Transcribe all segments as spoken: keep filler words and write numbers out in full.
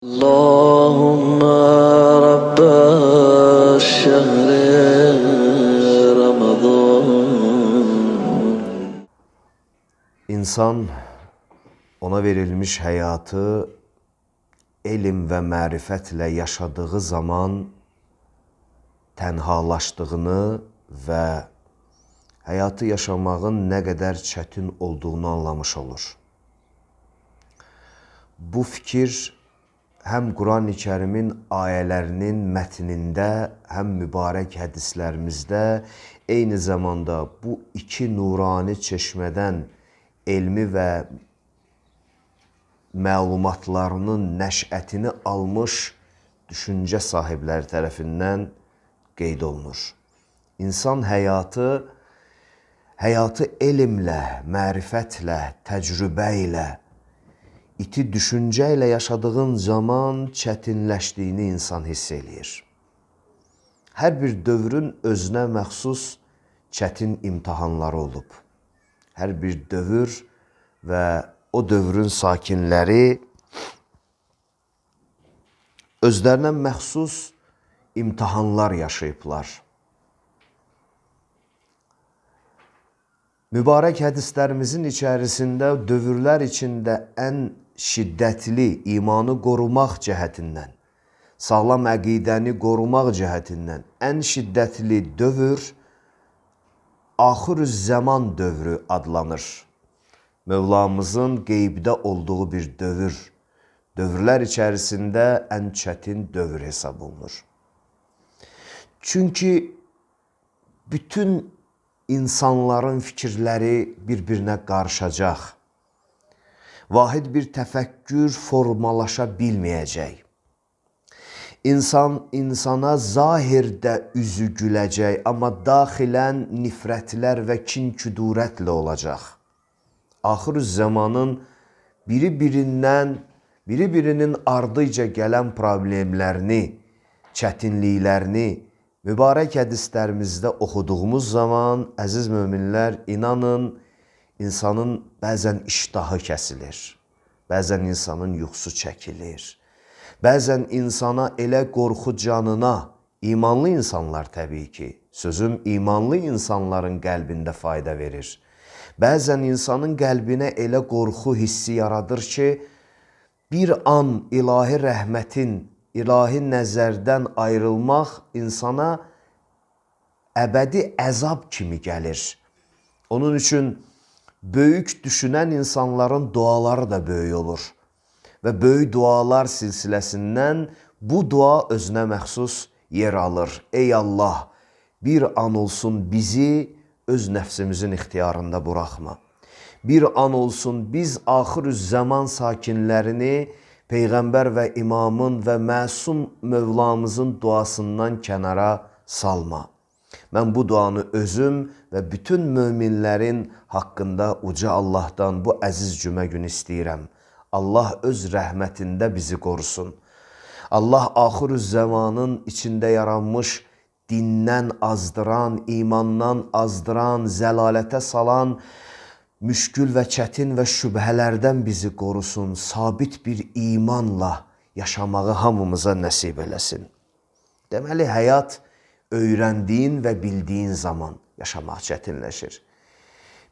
اللهم رب الشهر رمضان. İnsan ona verilmiş hayatı elm ve marifetle yaşadığı zaman tenhalaştığını ve hayatı yaşamağın ne kadar çetin olduğunu anlamış olur. Bu fikir hem Kur'an-ı Kerim'in ayelerinin metninde hem mübarek hadislerimizde aynı zamanda bu iki nurani çeşmeden elmi ve məlumatlarının nəşətini almış düşünce sahipləri tərəfindən qeyd olunur. İnsan həyatı, həyatı elmlə, mərifətlə, təcrübə ilə, iti düşünce ile yaşadığın zaman çətinləşdiyini insan hiss eləyir. Hər bir dövrün özünə məxsus çətin imtihanları olub. Hər bir dövr və o dövrün sakinləri özlərinə məxsus imtihanlar yaşayıblar. Mübarək hədislərimizin içərisində dövrlər içində ən şiddətli imanı qorumaq cəhətindən, sağlam əqidəni qorumaq cəhətindən ən şiddətli dövr axir-ü-zaman dövrü adlanır. Mövlamızın qeybdə olduğu bir dövr, dövrlər içərisində ən çətin dövr hesab olunur. Çünki bütün insanların fikirləri bir-birinə qarışacaq. Vahid bir təfəkkür formalaşa bilməyəcək. İnsan insana zahirdə üzü güləcək, amma daxilən nifrətlər və kin-küdurətlə olacaq. Axir-ü-zamanın biri-birindən, biri-birinin ardıca gələn problemlərini, çətinliklərini mübarək hədislərimizdə oxuduğumuz zaman, əziz möminlər, inanın, insanın bəzən iştahı kəsilir, bəzən insanın yuxusu çəkilir, bəzən insana elə qorxu canına, imanlı insanlar təbii ki, sözüm imanlı insanların qəlbində fayda verir. Bəzən insanın qəlbinə elə qorxu hissi yaradır ki, bir an ilahi rəhmətin, ilahi nəzərdən ayrılmaq insana əbədi əzab kimi gəlir. Onun üçün böyük düşünən insanların duaları da böyük olur. Və böyük dualar silsiləsindən bu dua özünə məxsus yer alır. Ey Allah, bir an olsun bizi öz nəfsimizin ixtiyarında buraxma. Bir an olsun biz axir-ü-zaman sakinlərini Peyğəmbər və imamın və məsum Mövlamızın duasından kənara salma. Mən bu duanı özüm və bütün möminlərin haqqında uca Allahdan bu əziz cümə günü istəyirəm. Allah öz rəhmətində bizi qorusun. Allah axir-ü-zamanın içində yaranmış dindən azdıran, imandan azdıran, zəlalətə salan, müşkül və çətin və şübhələrdən bizi qorusun. Sabit bir imanla yaşamağı hamımıza nəsib eləsin. Deməli, həyat öyrəndiyin və bildiyin zaman yaşamaq çətinləşir.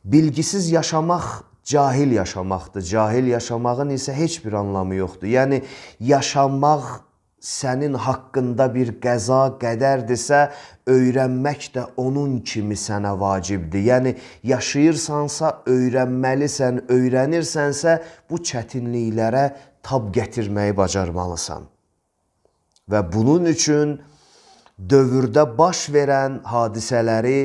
Bilgisiz yaşamaq cahil yaşamaqdır. Cahil yaşamağın isə heç bir anlamı yoxdur. Yəni, yaşamaq sənin haqqında bir qəza, qədərdirsə, öyrənmək də onun kimi sənə vacibdir. Yəni, yaşayırsansa, öyrənməlisən, öyrənirsənsə, bu çətinliklərə tab gətirməyi bacarmalısan. Və bunun üçün dövrdə baş verən hadisələri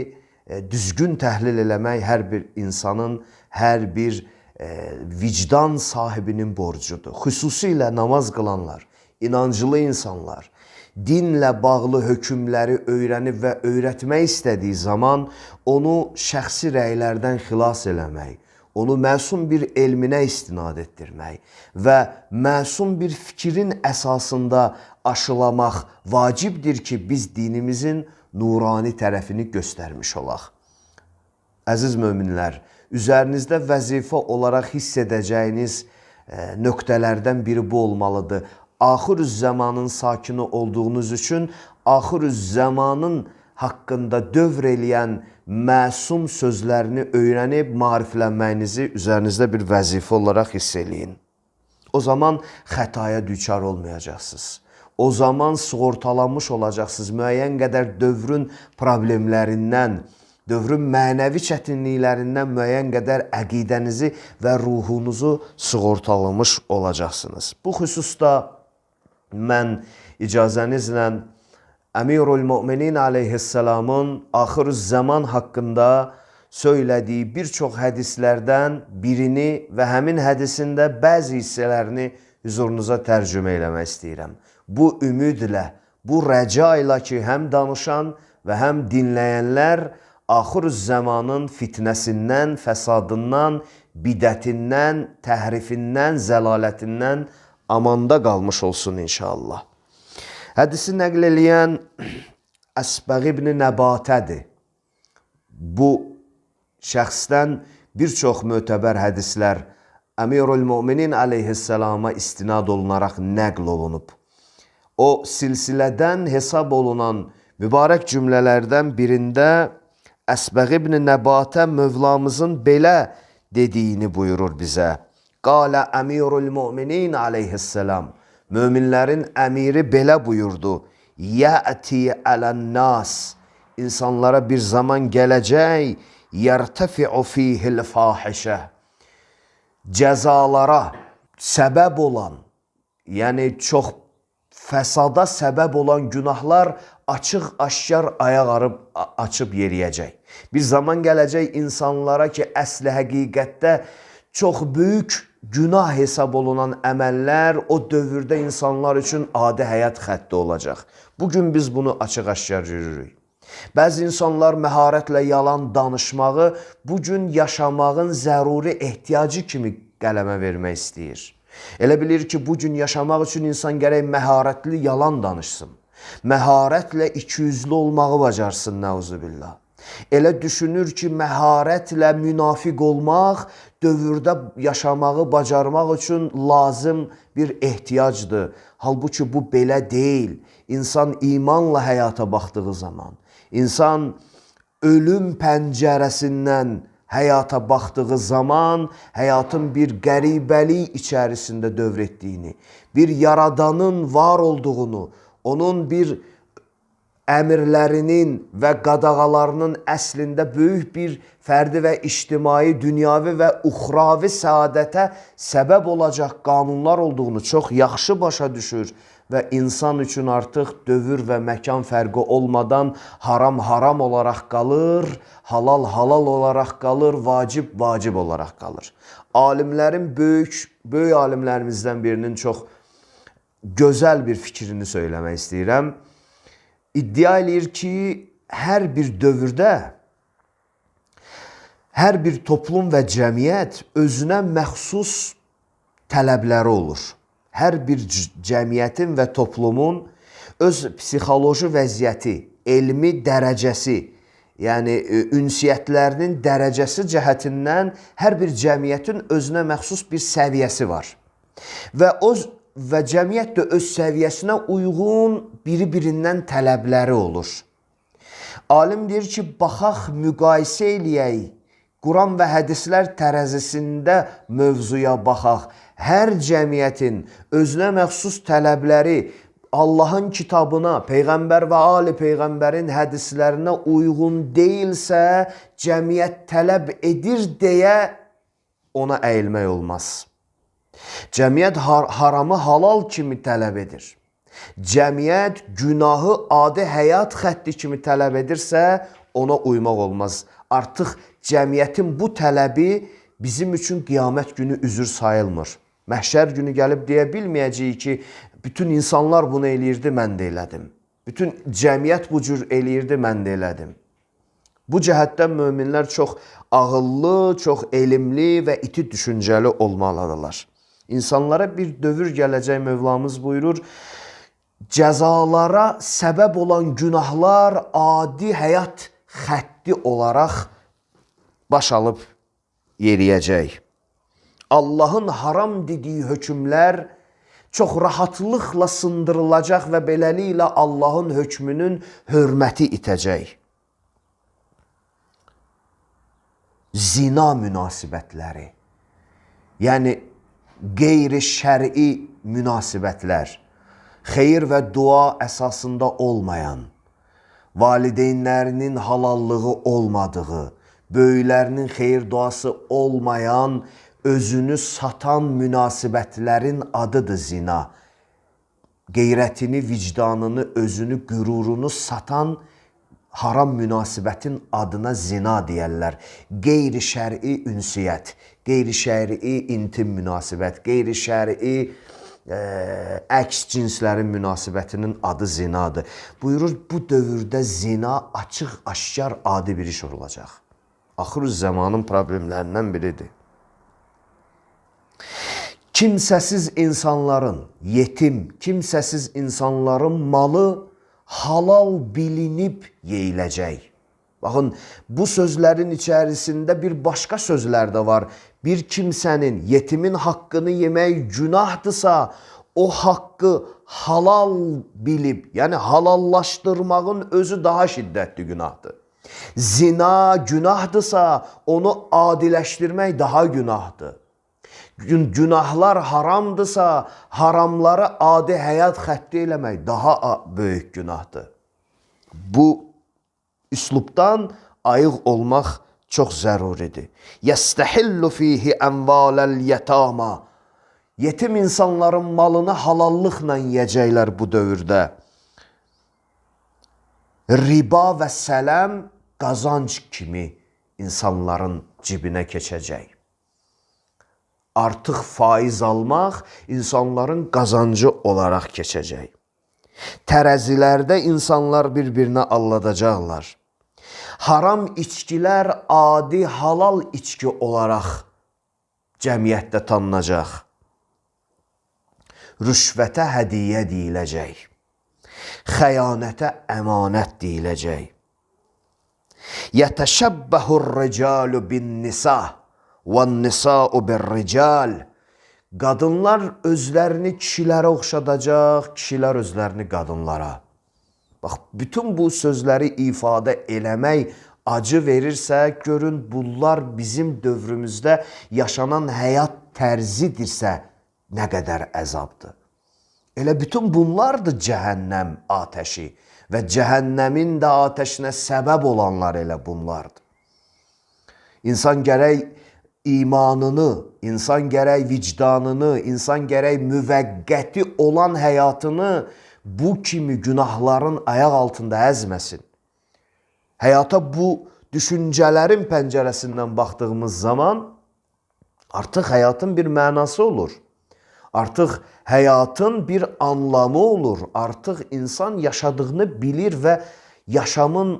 e, düzgün təhlil eləmək hər bir insanın, hər bir e, vicdan sahibinin borcudur. Xüsusilə namaz qılanlar, inancılı insanlar, dinlə bağlı hökmləri öyrənib və öyrətmək istədiyi zaman onu şəxsi rəylərdən xilas eləmək, onu məsum bir elminə istinad etdirmək və məsum bir fikrin əsasında aşılamaq vacibdir ki, biz dinimizin nurani tərəfini göstərmiş olaq. Əziz möminlər, üzərinizdə vəzifə olaraq hiss edəcəyiniz nöqtələrdən biri bu olmalıdır. axirüz zamanın sakini olduğunuz üçün axirüz zamanın haqqında dövr eləyən məsum sözlərini öyrənib maariflənməyinizi üzərinizdə bir vəzifə olaraq hiss eləyin. O zaman xətaya düçar olmayacaqsınız. O zaman sığortalanmış olacaqsınız. Müəyyən qədər dövrün problemlərindən, dövrün mənəvi çətinliklərindən müəyyən qədər əqidənizi və ruhunuzu sığortalamış olacaqsınız. Bu xüsusda mən icazənizlə Əmirul Müminin aleyhisselamın axirüz zaman haqqında söylədiyi bir çox hədislərdən birini və həmin hədisində bəzi hissələrini hüzurunuza tərcümə eləmək istəyirəm. Bu ümidlə, bu rəca ilə ki, həm danışan və həm dinləyənlər axirüz zamanın fitnəsindən, fəsadından, bidətindən, təhrifindən, zəlalətindən amanda qalmış olsun inşallah. Hədisi nəql eləyən Əsbəğ ibn Nəbatədir. Bu şəxsdən bir çox mötəbər hədislər Əmirul Müminin aleyhisselama istinad olunaraq nəql olunub. O silsilədən hesab olunan mübarək cümlələrdən birində Əsbəğ ibn Nəbatə Mövlamızın belə dediyini buyurur bizə. Qalə Əmirul Müminin aleyhisselam. Möminlərin əmiri belə buyurdu. Yəti ələn-nas. İnsanlara bir zaman gələcək. Yərtəfi'u fihil fahişə. Cəzalara səbəb olan, yəni çox fəsada səbəb olan günahlar açıq aşkar ayaq arıb açıb yeriyəcək. Bir zaman gələcək insanlara ki, əsli həqiqətdə çox böyük günah hesab olunan əməllər o dövrdə insanlar üçün adi həyat xətti olacaq. Bugün biz bunu açıq-aşkar görürük. Bəzi insanlar məharətlə yalan danışmağı bugün yaşamağın zəruri ehtiyacı kimi qələmə vermək istəyir. Elə bilir ki, bugün yaşamaq üçün insan gərək məharətli yalan danışsın. Məharətlə ikiyüzlü olmağı bacarsın, nəuzubillah. Elə düşünür ki, məharətlə münafiq olmaq dövrdə yaşamağı bacarmaq üçün lazım bir ehtiyacdır. Halbuki bu belə deyil. İnsan imanla həyata baxdığı zaman, insan ölüm pəncərəsindən həyata baxdığı zaman həyatın bir qəribəlik içərisində dövr etdiyini, bir yaradanın var olduğunu, onun bir əmirlərinin və qadağalarının əslində böyük bir fərdi və ictimai, dünyavi və uxravi səadətə səbəb olacaq qanunlar olduğunu çox yaxşı başa düşür və insan üçün artıq dövr və məkan fərqi olmadan haram haram olaraq qalır, halal halal olaraq qalır, vacib vacib olaraq qalır. Alimlərin böyük, böyük alimlərimizdən birinin çox gözəl bir fikrini söyləmək istəyirəm. İddia eləyir ki, hər bir dövrdə, hər bir toplum və cəmiyyət özünə məxsus tələbləri olur. Hər bir cəmiyyətin və toplumun öz psixoloji vəziyyəti, elmi dərəcəsi, yəni ünsiyyətlərinin dərəcəsi cəhətindən hər bir cəmiyyətin özünə məxsus bir səviyyəsi var. Və o və cəmiyyət də öz səviyyəsinə uyğun biri-birindən tələbləri olur. Alim deyir ki, baxaq, müqayisə eləyək, Quran və hədislər tərəzisində mövzuya baxaq. Hər cəmiyyətin özünə məxsus tələbləri Allahın kitabına, Peyğəmbər və Ali Peyğəmbərin hədislərinə uyğun deyilsə, cəmiyyət tələb edir deyə ona əyilmək olmaz. Cəmiyyət har haramı halal kimi tələb edir. Cəmiyyət günahı adi həyat xətti kimi tələb edirsə, ona uymaq olmaz. Artıq cəmiyyətin bu tələbi bizim üçün qiyamət günü üzür sayılmır. Məhşər günü gəlib deyə bilməyəcəyik ki, bütün insanlar bunu eləyirdi, mən də elədim. Bütün cəmiyyət bu cür eləyirdi, mən də elədim. Bu cəhətdən möminlər çox ağıllı, çox elmli və iti düşüncəli olmalıdırlar. İnsanlara bir dövr gələcək Mövlamız buyurur, cəzalara səbəb olan günahlar adi həyat xətti olaraq baş alıb yeriyəcək. Allahın haram dediyi hökmlər çox rahatlıqla sındırılacaq və beləliklə Allahın hökmünün hörməti itəcək. Zina münasibətləri, yəni qeyri-şər'i münasibətlər, xeyir və dua əsasında olmayan, valideynlərinin halallığı olmadığı, böyüklərinin xeyir duası olmayan, özünü satan münasibətlərin adıdır zina. Qeyrətini, vicdanını, özünü, qürurunu satan haram münasibətin adına zina deyərlər. Qeyri-şər'i ünsiyyət, qeyri-şər'i intim münasibət, qeyri-şər'i e, əks cinslərin münasibətinin adı zinadır. Buyurur, bu dövrdə zina açıq, aşkar, adi bir iş olacaq. Axır zamanın problemlərindən biridir. Kimsəsiz insanların, yetim, kimsəsiz insanların malı halal bilinib yeyiləcək. Baxın, bu sözlərin içərisində bir başqa sözlər də var. Bir kimsənin, yetimin haqqını yemək günahdırsa, o haqqı halal bilib, yəni halallaşdırmağın özü daha şiddətli günahdır. Zina günahdırsa, onu adiləşdirmək daha günahdır. Günahlar haramdırsa, haramları adi həyat xətti eləmək daha böyük günahdır. Bu üslubdan ayıq olmaq çox zəruridir. Yəstəhillu fihi ənvaləl yətama. Yetim insanların malını halallıqla yiyəcəklər bu dövrdə. Riba və sələm qazanc kimi insanların cibinə keçəcək. Artıq faiz almaq insanların qazancı olaraq keçəcək. Tərəzilərdə insanlar bir-birinə alladacaqlar. Haram içkilər adi halal içki olaraq cəmiyyətdə tanınacaq. Rüşvətə hədiyyə deyiləcək. Xəyanətə əmanət deyiləcək. Yətəşəbbəhur ricalu bin nisa وَالنِّسَاءُ بِالرِّجَالِ. Qadınlar özlərini kişilərə oxşadacaq, kişilər özlərini qadınlara. Bax, bütün bu sözləri ifadə eləmək acı verirsə, görün bunlar bizim dövrümüzdə yaşanan həyat tərzidirsə, nə qədər əzabdır. Elə bütün bunlardır cəhənnəm atəşi və cəhənnəmin də atəşinə səbəb olanlar elə bunlardır. İnsan gərək imanını, insan gərək vicdanını, insan gərək müvəqqəti olan həyatını bu kimi günahların ayaq altında əzməsin. Həyata bu düşüncələrin pəncərəsindən baxdığımız zaman artıq həyatın bir mənası olur. Artıq həyatın bir anlamı olur. Artıq insan yaşadığını bilir və yaşamın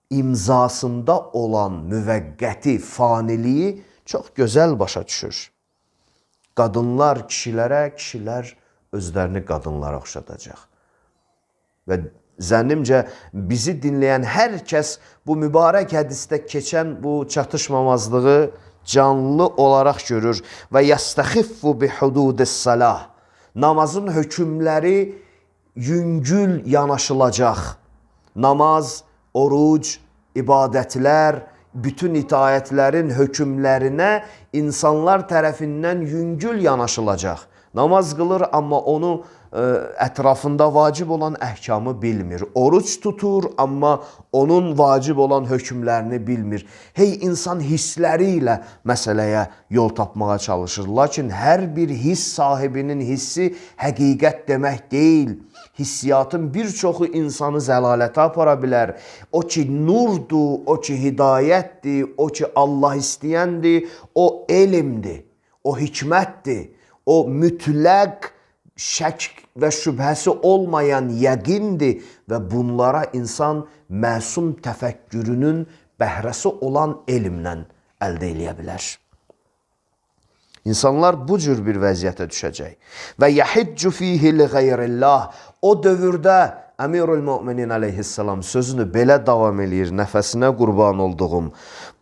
imzasında olan müvəqqəti, faniliyi çox gözəl başa düşür. Qadınlar kişilərə, kişilər özlərini qadınlara oxşadacaq. Və zənnimcə bizi dinləyən hər kəs bu mübarək hədisdə keçən bu çatışmamazlığı canlı olaraq görür. Və yəstəxiffu bi hududis-salah. Namazın hökmləri yüngül yanaşılacaq. Namaz, oruc, ibadətlər, bütün itaətlərin hökmlərinə insanlar tərəfindən yüngül yanaşılacaq. Namaz qılır, amma onu ə, ətrafında vacib olan əhkamı bilmir. Oruç tutur, amma onun vacib olan hökmlərini bilmir. Hey, insan hissləri ilə məsələyə yol tapmağa çalışır. Lakin hər bir hiss sahibinin hissi həqiqət demək deyil. Hissiyatın bir çoxu insanı zəlalətə apara bilər. O ki nurdur, o ki hidayətdir, o ki Allah istəyəndir, o elmdir, o hikmətdir, o mütləq şək və şübhəsi olmayan yəqindir və bunlara insan məsum təfəkkürünün bəhrəsi olan elmlə əldə eləyə bilər. İnsanlar bu cür bir vəziyyətə düşəcək. Və yəhiccu fihi li qeyrillah. O dövrdə Əmirül Möminin əleyhissalam sözünü belə davam eləyir, nəfəsinə qurban olduğum.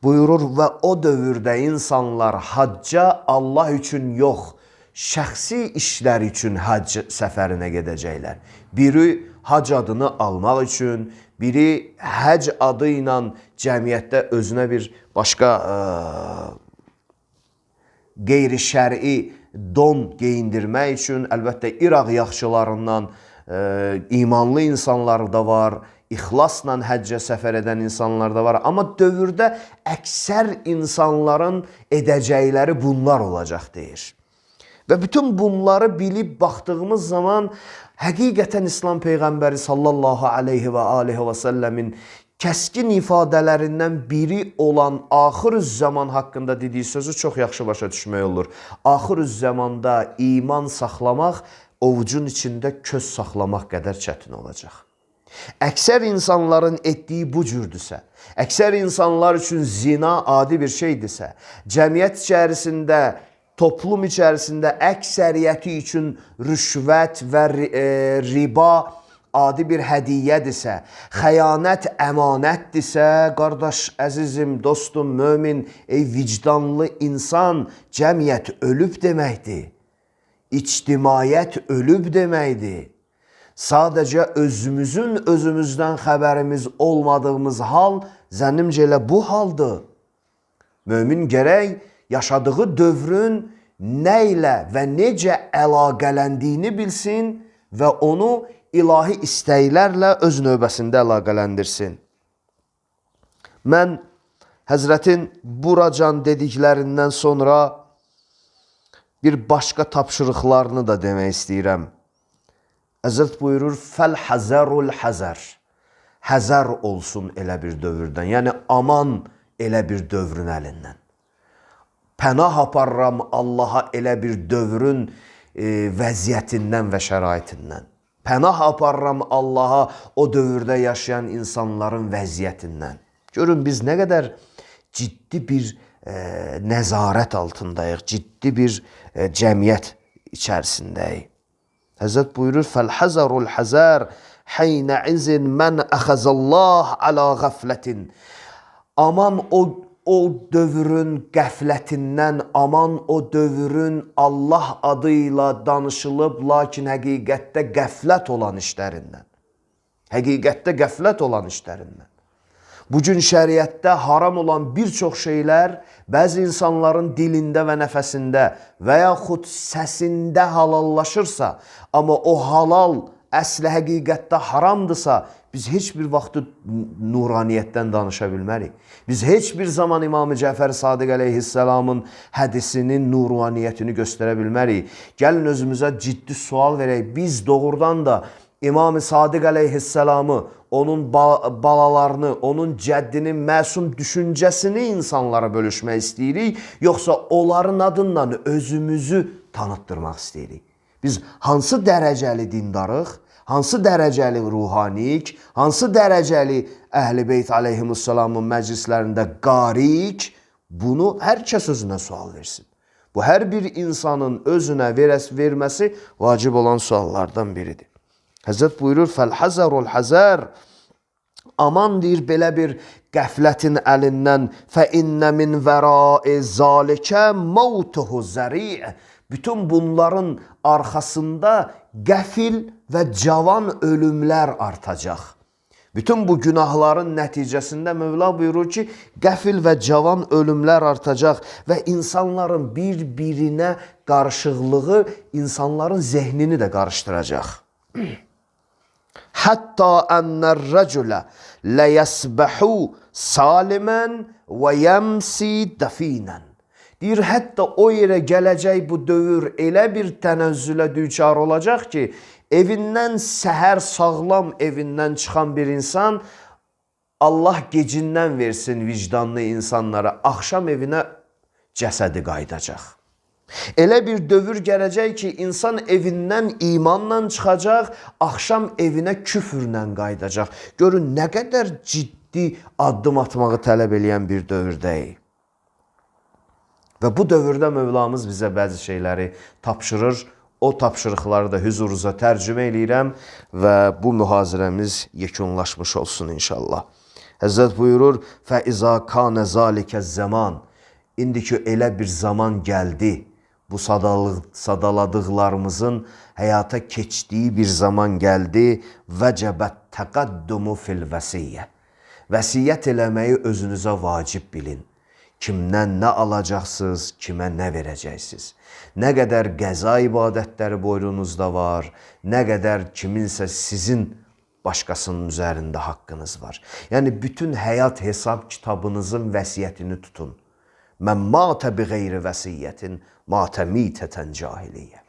Buyurur və o dövrdə insanlar hacca Allah üçün yox, şəxsi işlər üçün hac səfərinə gedəcəklər. Biri hac adını almaq üçün, biri həc adı ilə cəmiyyətdə özünə bir başqa ə, qeyri-şəri don geyindirmək üçün. Əlbəttə, İraq yaxçılarından ə, imanlı insanlar da var, İxlasla həccə səfər edən insanlar da var. Amma dövrdə əksər insanların edəcəkləri bunlar olacaq deyir. Və bütün bunları bilib baxdığımız zaman həqiqətən İslam Peyğəmbəri sallallahu aleyhi və aleyhi və səlləmin kəskin ifadələrindən biri olan axir-üz-zaman haqqında dediyi sözü çox yaxşı başa düşmək olur. Axir-üz-zamanda iman saxlamaq ovucun içində köz saxlamaq qədər çətin olacaq. Əksər insanların etdiyi bu cürdürsə, əksər insanlar üçün zina adi bir şeydirsə, cəmiyyət içərisində, toplum içərisində əksəriyyəti üçün rüşvət və riba adi bir hədiyyədirsə, xəyanət əmanətdirsə, qardaş, əzizim, dostum, mömin, ey vicdanlı insan, cəmiyyət ölüb deməkdir. İctimaiyyət ölüb deməkdir. Sadəcə özümüzün özümüzdən xəbərimiz olmadığımız hal zənnimcə elə bu haldır. Mömin gərək yaşadığı dövrün nə ilə və necə əlaqələndiyini bilsin və onu ilahi istəklərlə öz növbəsində əlaqələndirsin. Mən Həzrətin buracan dediklərindən sonra bir başqa tapşırıqlarını da demək istəyirəm. Həzrət buyurur, fəl-həzərul həzər. Həzər olsun elə bir dövrdən. Yəni, aman elə bir dövrün əlindən. Pənah aparram Allaha elə bir dövrün e, vəziyyətindən və şəraitindən. Pənah aparram Allaha o dövrdə yaşayan insanların vəziyyətindən. Görün, biz nə qədər ciddi bir e, nəzarət altındayıq, ciddi bir e, cəmiyyət içərisindəyik. Həzrət buyurur, fəl-həzərul həzər, həynə izin mən əxəzəllah alə qəflətin. Aman o, o dövrün qəflətindən, aman o dövrün Allah adıyla danışılıb, lakin həqiqətdə qəflət olan işlərindən. Həqiqətdə qəflət olan işlərindən. Bugün şəriətdə haram olan bir çox şeylər bəzi insanların dilində və nəfəsində və yaxud səsində halallaşırsa, amma o halal əsli həqiqətdə haramdırsa, biz heç bir vaxt nuraniyyətdən danışa bilmərik. Biz heç bir zaman İmam-ı Cəfər Sadiq əleyhisselamın hədisinin nuraniyyətini göstərə bilmərik. Gəlin özümüzə ciddi sual verək. Biz doğrudan da İmam-ı Sadiq əleyhisselamı, onun balalarını, onun cəddinin məsum düşüncəsini insanlara bölüşmək istəyirik, yoxsa onların adından özümüzü tanıtdırmaq istəyirik. Biz hansı dərəcəli dindarıq, hansı dərəcəli ruhaniyik, hansı dərəcəli Əhl-i Beyt əleyhimussalamın məclislərində qarik, bunu hər kəs özünə sual versin. Bu, hər bir insanın özünə verməsi vacib olan suallardan biridir. Həzrət buyurur, fəl-həzərul həzər, aman deyir belə bir qəflətin əlindən, fə-innə min vərai zalikə mautuhu zəri'. Bütün bunların arxasında qəfil və cavan ölümlər artacaq. Bütün bu günahların nəticəsində Mövla buyurur ki, qəfil və cavan ölümlər artacaq və insanların bir-birinə qarışıqlığı insanların zehnini də qarışdıracaq. Hətta ənər-rəculə ləyəsbəhu salimən və yəmsi dəfinən. Deyir, hətta o yerə gələcək bu dövr elə bir tənəzzülə düçar olacaq ki, evindən səhər sağlam evindən çıxan bir insan, Allah gecindən versin vicdanlı insanlara, axşam evinə cəsədi qaydacaq. Elə bir dövr gələcək ki, insan evindən imanla çıxacaq, axşam evinə küfürlə qaydacaq. Görün, nə qədər ciddi addım atmağı tələb eləyən bir dövrdəyik. Və bu dövrdə Mövlamız bizə bəzi şeyləri tapşırır. O tapşırıqları da hüzurunuza tərcümə eləyirəm və bu mühazirəmiz yekunlaşmış olsun inşallah. Həzrət buyurur, فَإِذَا كَانَ ذَلِكَ الزَّمَانِ. İndi ki, elə bir zaman gəldi. bu sadalıq, sadaladıqlarımızın həyata keçdiyi bir zaman gəldi. Vəcəbət təqaddumu fil vəsiyyə. Vəsiyyət eləməyi özünüzə vacib bilin. Kimdən nə alacaqsınız, kimə nə verəcəksiniz? Nə qədər qəza ibadətləri boynunuzda var, nə qədər kiminsə sizin başqasının üzərində haqqınız var. Yəni, bütün həyat hesab kitabınızın vəsiyyətini tutun. Mən matə bi qeyri vəsiyyətin, matə mitətən cahiliyyə.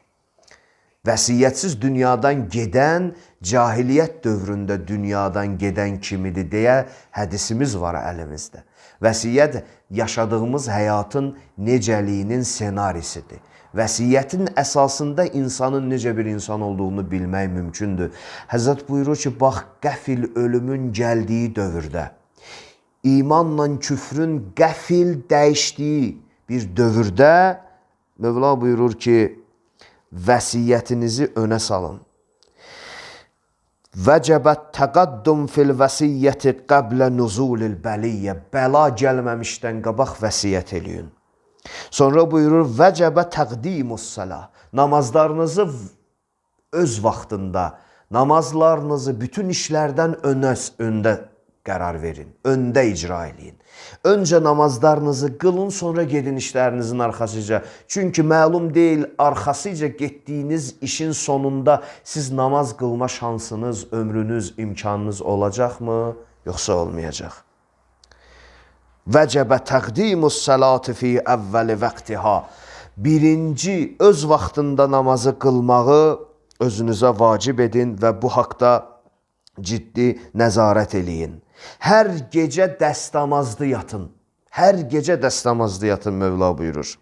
Vəsiyyətsiz dünyadan gedən, cahiliyyət dövründə dünyadan gedən kimidir deyə hədisimiz var əlimizdə. Vəsiyyət yaşadığımız həyatın necəliyinin senarisidir. Vəsiyyətin əsasında insanın necə bir insan olduğunu bilmək mümkündür. Həzrət buyurur ki, bax, qəfil ölümün gəldiyi dövrdə, imanla küfrün qəfil dəyişdiyi bir dövrdə Mövla buyurur ki, vəsiyyətinizi önə salın. Vəcəbət təqaddum fil vəsiyyəti qəblə nuzulil bəliyyə. Bəla gəlməmişdən qabaq vəsiyyət eləyin. Sonra buyurur, vəcəbə təqdimus səlah. Namazlarınızı öz vaxtında, namazlarınızı bütün işlərdən önə, öndə qərar verin, öndə icra edin. Öncə namazlarınızı qılın, sonra gedin işlərinizin arxasıca. Çünki məlum deyil, arxasıca getdiyiniz işin sonunda siz namaz qılma şansınız, ömrünüz, imkanınız olacaqmı, yoxsa olmayacaq? Vəcəbə təqdimus səlati fi əvvəli vəqtiha. Birinci, öz vaxtında namazı qılmağı özünüzə vacib edin və bu haqda ciddi nəzarət eləyin. Hər gecə dəstəmazlı yatın. Hər gecə dəstəmazlı yatın, Mövla buyurur.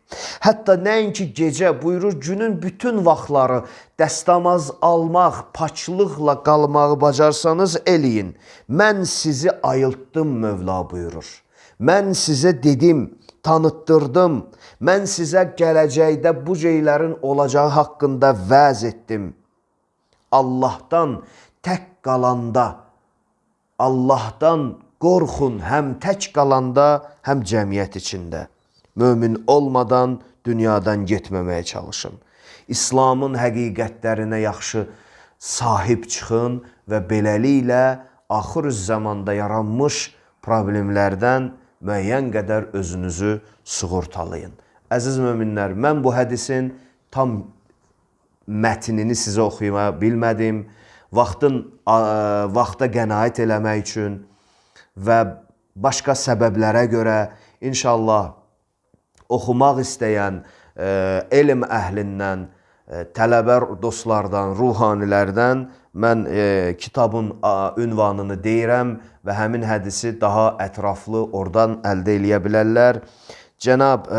Hətta nəinki gecə, buyurur, günün bütün vaxtları dəstəmaz almaq, paçlıqla qalmağı bacarsanız eləyin. Mən sizi ayıltdım, Mövla buyurur. Mən sizə dedim, tanıtdırdım. Mən sizə gələcəkdə bu şeylərin olacağı haqqında vəz etdim. Allahdan tək qalanda, Allahdan qorxun həm tək qalanda, həm cəmiyyət içində. Mömin olmadan dünyadan getməməyə çalışın. İslamın həqiqətlərinə yaxşı sahib çıxın və beləliklə axır zamanda yaranmış problemlərdən müəyyən qədər özünüzü sığortalayın. Əziz möminlər, mən bu hədisin tam mətnini sizə oxuyama bilmədim. Vaxtın, vaxta qənaət eləmək üçün və başqa səbəblərə görə inşallah oxumaq istəyən elm əhlindən, tələbə dostlardan, ruhanilərdən mən kitabın ünvanını deyirəm və həmin hədisi daha ətraflı oradan əldə eləyə bilərlər. Cənab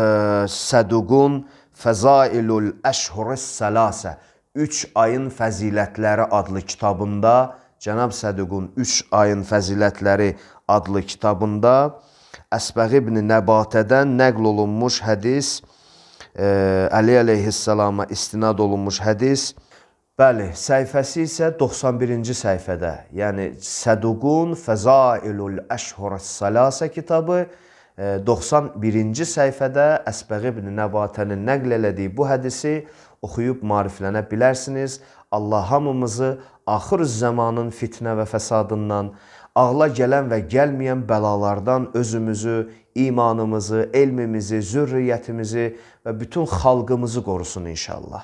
Səduqun Fəzailul Əşhurus Səlasə, Üç ayın fəzilətləri adlı kitabında, Cənab Səduqun Üç ayın fəzilətləri adlı kitabında Əsbəğ ibn Nəbatədən nəql olunmuş hədis, Əli əleyhissalama istinad olunmuş hədis. Bəli, səhifəsi isə doxsan birinci səhifədə, yəni Səduqun Fəzailul Əşhurus Səlasə kitabı doxsan birinci səhifədə Əsbəğ ibn Nəbatənin nəql elədiyi bu hədisi oxuyub mariflənə bilərsiniz. Allah hamımızı axır zamanın fitnə və fəsadından, ağla gələn və gəlməyən bəlalardan özümüzü, imanımızı, elmimizi, zürriyyətimizi və bütün xalqımızı qorusun inşallah.